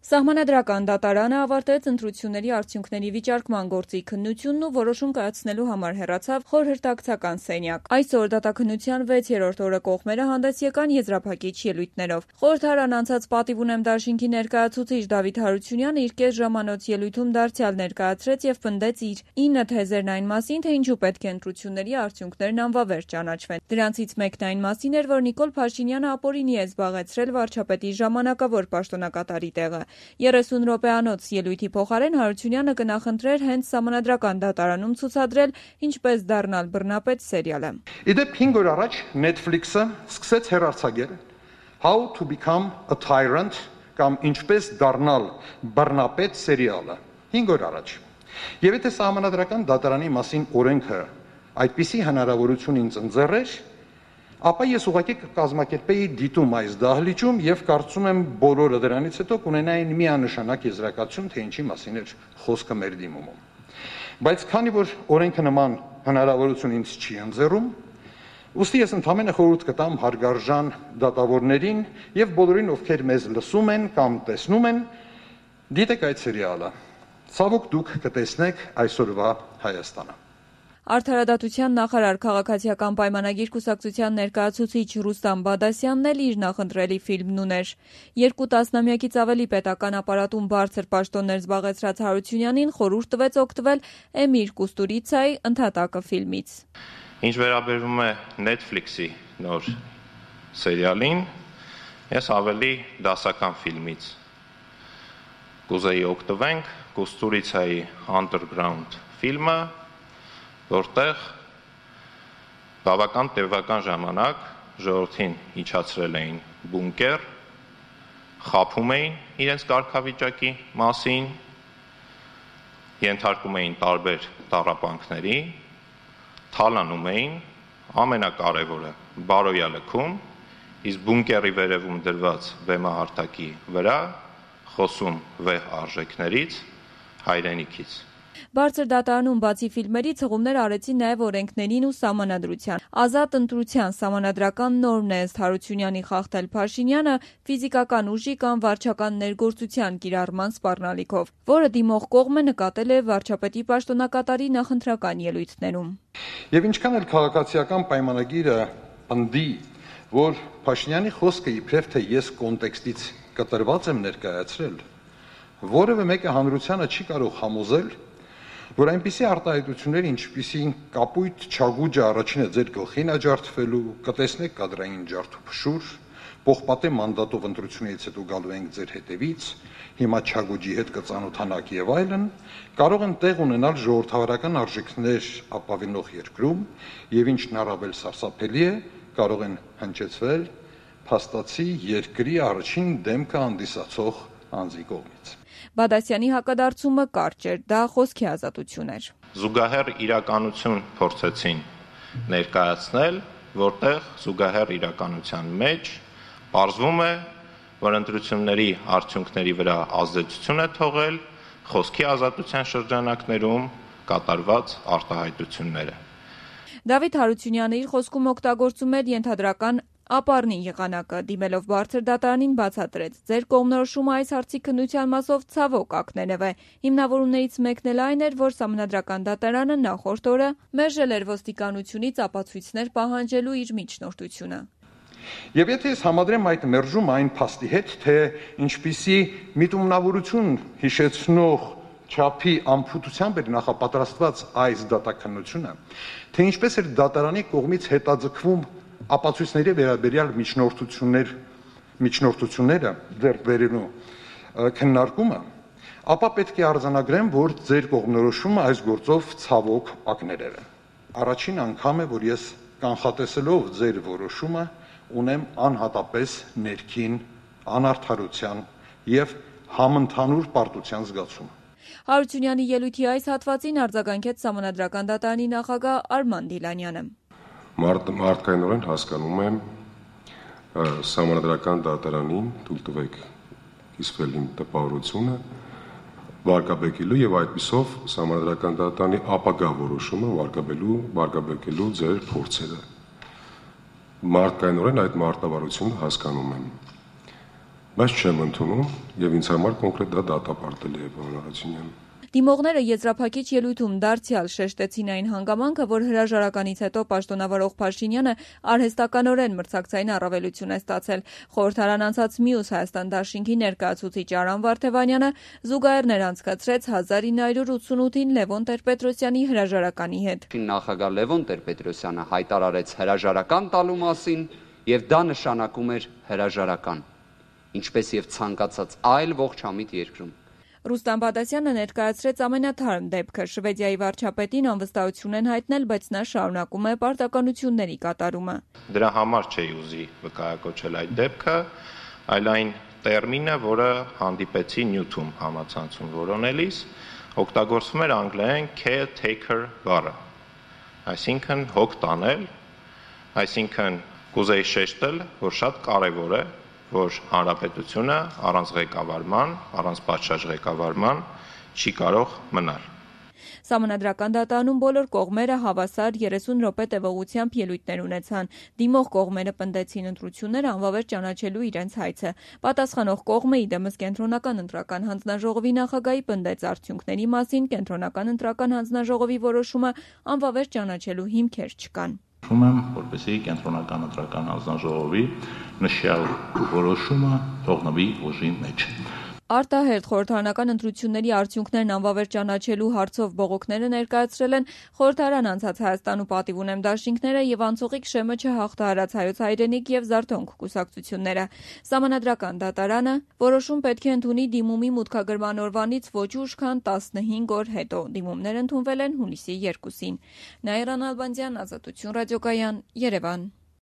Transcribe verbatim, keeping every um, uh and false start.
Սահմանադրական դատարանը ավարտեց ընտրությունների արդյունքների վիճարկման գործի քննությունն ու որոշում կայացնելու համար հեռացավ խորհրդակցական սենյակ։ Այսօր դատաքննության վեցերորդ օրը կողմերը հանդես եկան եզրափակիչ ելույթներով։ Խորհրդարան անցած պատիվ ունեմ դաշինքի ներկայացուցիչ Դավիթ Հարությունյանը իր կես ժամանոց ելույթում դարձյալ ներկայացրեց եւ պնդեց իր ինը թեզերն այն մասին, թե ինչու պետք է ընտրությունների արդյունքներն անվավեր ճանաչվեն։ Դրանցից մեկն այն մասին էր, որ Նիկոլ Փաշինյանը ապօրինի է զբաղեցրել վարչապետի ժամանակավոր պաշտոնակատարի տեղը։ երեսուն րոպեանոց ելույթի փոխարեն Հարությունյանը կնախընտրեր հենց Սահմանադրական դատարանում ցուցադրել «Ինչպես դառնալ բռնապետ» սերիալը։ Իդեպ հինգ օր առաջ Netflix-ը սկսեց հեռարձակել How to become a tyrant կամ Ինչպես դառնալ բռնապետ սերիալը։ հինգ օր առաջ։ Եվ եթե Սահմանադրական դատարանի մասին օրենքը այդպիսի հնարավորություն ինձ ընձեռեր, ապա ես ուղղակի կկազմակերպեի դիտում այս դահլիճում եւ կարծում եմ բոլորը դրանից հետո կունենային միանշանակ եզրակացություն, թե ինչի մասին էր խոսքը մեր դիմումում։ Բայց քանի որ օրենքը նման հնարավորություն ինձ չի ընձեռում, ուստի ես ընդհանրապես խորհուրդ կտամ հարգարժան դատավորներին եւ բոլորին, ովքեր մեզ լսում են կամ տեսնում են, դիտեք այդ սերիալը։ Ցավոք դուք կտեսնեք այսօրվա Հայաստանը։ Արդարադատության նախարար քաղաքացիական պայմանագիր կուսակցության ներկայացուցիչ Ռուստամ Բադասյանն էլ իր նախընտրելի ֆիլմն ուներ։ Երկու տասնամյակից ավելի պետական ապարատում բարձր պաշտոններ զբաղեցրած Հարությունյանին խորհուրդ տվեց օգտվել Էմիր Կուստուրիցայի «Ընդհատակը» ֆիլմից։ Ինչ վերաբերում է Netflix-ի նոր սերիալին, ես ավելի դասական ֆիլմից կուզեի օգտվենք Կուստուրիցայի «Underground» ֆիլմը, որտեղ բավական տևական ժամանակ ժողովրդին իջացրել էին բունկեր, խաբում էին իրենց կարգավիճակի մասին, ենթարկում էին տարբեր տառապանքների, թալանում էին, ամենակարևորը բարոյալքում, իսկ բունկերի վերևում դրված բեմահարթակի վրա խոսում վեհ արժեքներից, հայրենիքից։ Բարձր դատարանում բացի ֆիլմերից հղումներ արեցին նաև օրենքներին ու սահմանադրության։ Ազատ ընտրության սահմանադրական նորմն է ըստ Հարությունյանի խախտել Փաշինյանը ֆիզիկական ուժի կամ վարչական ներգործության կիրառման սպառնալիքով, որը դիմող կողմը նկատել է վարչապետի պաշտոնակատարի նախընտրական ելույթներում։ Եվ ինչքան էլ քաղաքացիական պայմանագիրը պնդի, որ Փաշինյանի խոսքը իբրև թե ես կոնտեքստից կտրված եմ ներկայացրել, որևէ մեկը հանրությանը չի կարող համոզել, որ այնպիսի արտահայտություններ, ինչպիսին կապույտ չագուջը առաջինը ձեր գլխին է ջարդվելու, կտեսնեք կադրային ջարդուփշուր, պողպատե մանդատով ընտրությունից հետո գալու ենք ձեր հետևից, հիմա չագուջի հետ կծանոթանաք եւ այլն, կարող են տեղ ունենալ ժողովրդավարական արժեքներ ապավինող երկրում եւ ինչն առավել սարսափելի է, կարող են հնչեցվել փաստացի երկրի առաջին դեմքը հանդիսացող անձի կողմից։ Բադասյանի հակադարձումը կարճ էր, դա խոսքի ազատություն էր։ Զուգահեռ իրականություն փորձեցին ներկայացնել, որտեղ զուգահեռ իրականության մեջ պարզվում է, որ ընտրությունների արդյունքների վրա ազդեցություն է թողել խոսքի ազատության շրջանակներում կատարված արտահայտությունները։ Դավիթ Հարությունյանը իր խոսքում օգտագործում էր ենթադրական ապառնի եղանակը, դիմելով բարձր դատարանին բացատրեց. ձեր կողմնորոշումը այս հարցի քննության մասով ցավոք ակնելև է։ Հիմնավորումներից մեկն էլ այն էր, որ Սահմանադրական դատարանը նախորդ օրը մերժել էր ոստիկանությունից ապացույցներ պահանջելու իր միջնորդությունը։ Եվ եթե ես համադրեմ այդ մերժումը այն փաստի հետ, թե ինչպիսի միտումնավորություն հիշեցնող չափի ամփոփությամբ էր նախապատրաստված այս դատաքննությունը, թե ինչպես էր դատարանի կողմից հետաձգվում ապացույցների վերաբերյալ միջնորդություններ, միջնորդությունները ձեռք բերելու քննարկումը, ապա պետք է արձանագրեմ, որ ձեր կողմնորոշումը այս գործով ցավոք ակներև է։ Առաջին անգամ է, որ ես կանխատեսելով ձեր որոշումը ունեմ անհատապես ներքին անարդարության եւ համընդհանուր պարտության զգացում։ Հարությունյանի ելույթի այս հատվածին արձագանքեց Սահմանադրական դատարանի նախագահ Արման Դիլանյանը։ Մարդկայնորեն հասկանում եմ Սահմանադրական դատարանին թույլ տվեք կիսվել իմ տպավորությունը վարկաբեկելու եւ այդպիսով Սահմանադրական դատարանի ապագա որոշումը վարկաբելու վարկաբեկելու ձեր փորձերը։ Մարդկայնորեն այդ մարտավարությունը հասկանում եմ։ Բայց չեմ ընդունում եւ ինձ համար կոնկրետ դա դատապարտել է պարոն Հարությունյանը։ Դիմողները եզրափակիչ ելույթում դարձյալ շեշտեցին այն հանգամանքը, որ հրաժարականից հետո պաշտոնավարող Փաշինյանը արհեստականորեն մրցակցային առավելություն է ստացել։ Խորհրդարան անցած մյուս Հայաստան դաշինքի ներկայացուցիչ Արամ Վարդևանյանը զուգահեռներ անցկացրեց հազար ինը հարյուր ութսունութին Լևոն Տեր-Պետրոսյանի հրաժարականի հետ։ Նախագահ Լևոն Տեր-Պետրոսյանը հայտարարեց հրաժարական տալու մասին եւ դա նշանակում էր հրաժարական, ինչպես եւ ցանկացած այլ ողջամիտ երկրում։ Ռուստամ Բադասյանը ներկայացրեց ամենաթարմ դեպքը։ Շվեդիայի վարչապետին անվստահություն են հայտնել, բայց նա շարունակում է պարտականությունների կատարումը։ Դրա համար չէի ուզի վկայակոչել այդ դեպքը, այլ այն տերմինը, որը հանդիպեցի նյութում համացանցում որոնելիս, օգտագործվում էր անգլերեն caretaker բառը, այսինքն հոգ տանել, այսինքն կուզեի շեշտել, որ շատ կարևոր է, որ հանրապետությունը առանց ղեկավարման, առանց պատշաճ ղեկավարման չի կարող մնալ։ Սահմանադրական դատարանում բոլոր կողմերը հավասար երեսուն րոպե տևողությամբ ելույթներ ունեցան։ Դիմող կողմերը պնդեցին ընտրությունները անվավեր ճանաչելու իրենց հայցը։ Պատասխանող կողմը իդեմս կենտրոնական ընտրական հանձնաժողովի նախագահի պնդեց արդյունքների մասին, կենտրոնական ընտրական հանձնաժողովի որոշումը անվավեր ճանաչելու հիմքեր չկան։ Ուզում եմ, որպեսզի կենտրոնական ընտրական հանձնաժողովի նշյալ որոշումը թողնվի ուժի մեջ։ Արտահերթ խորհրդարանական ընտրությունների արդյունքներն անվավեր ճանաչելու հարցով բողոքները ներկայացրել են խորհրդարան անցած Հայաստան ու պատիվ ունեմ դաշինքները եւ անցողիկ Շ M Չ հաղթահարած Հայոց հայրենիք եւ Զարթոնք կուսակցությունները։ Սահմանադրական դատարանը որոշում պետք է ընդունի դիմումի մուտքագրման օրվանից ոչ ուշ քան տասնհինգ օր հետո։ Դիմումներ ընդունվել են հունիսի երկուսին։ Նաիրա Նալբանդյան, Ազատություն ռադիոկայան, Երևան։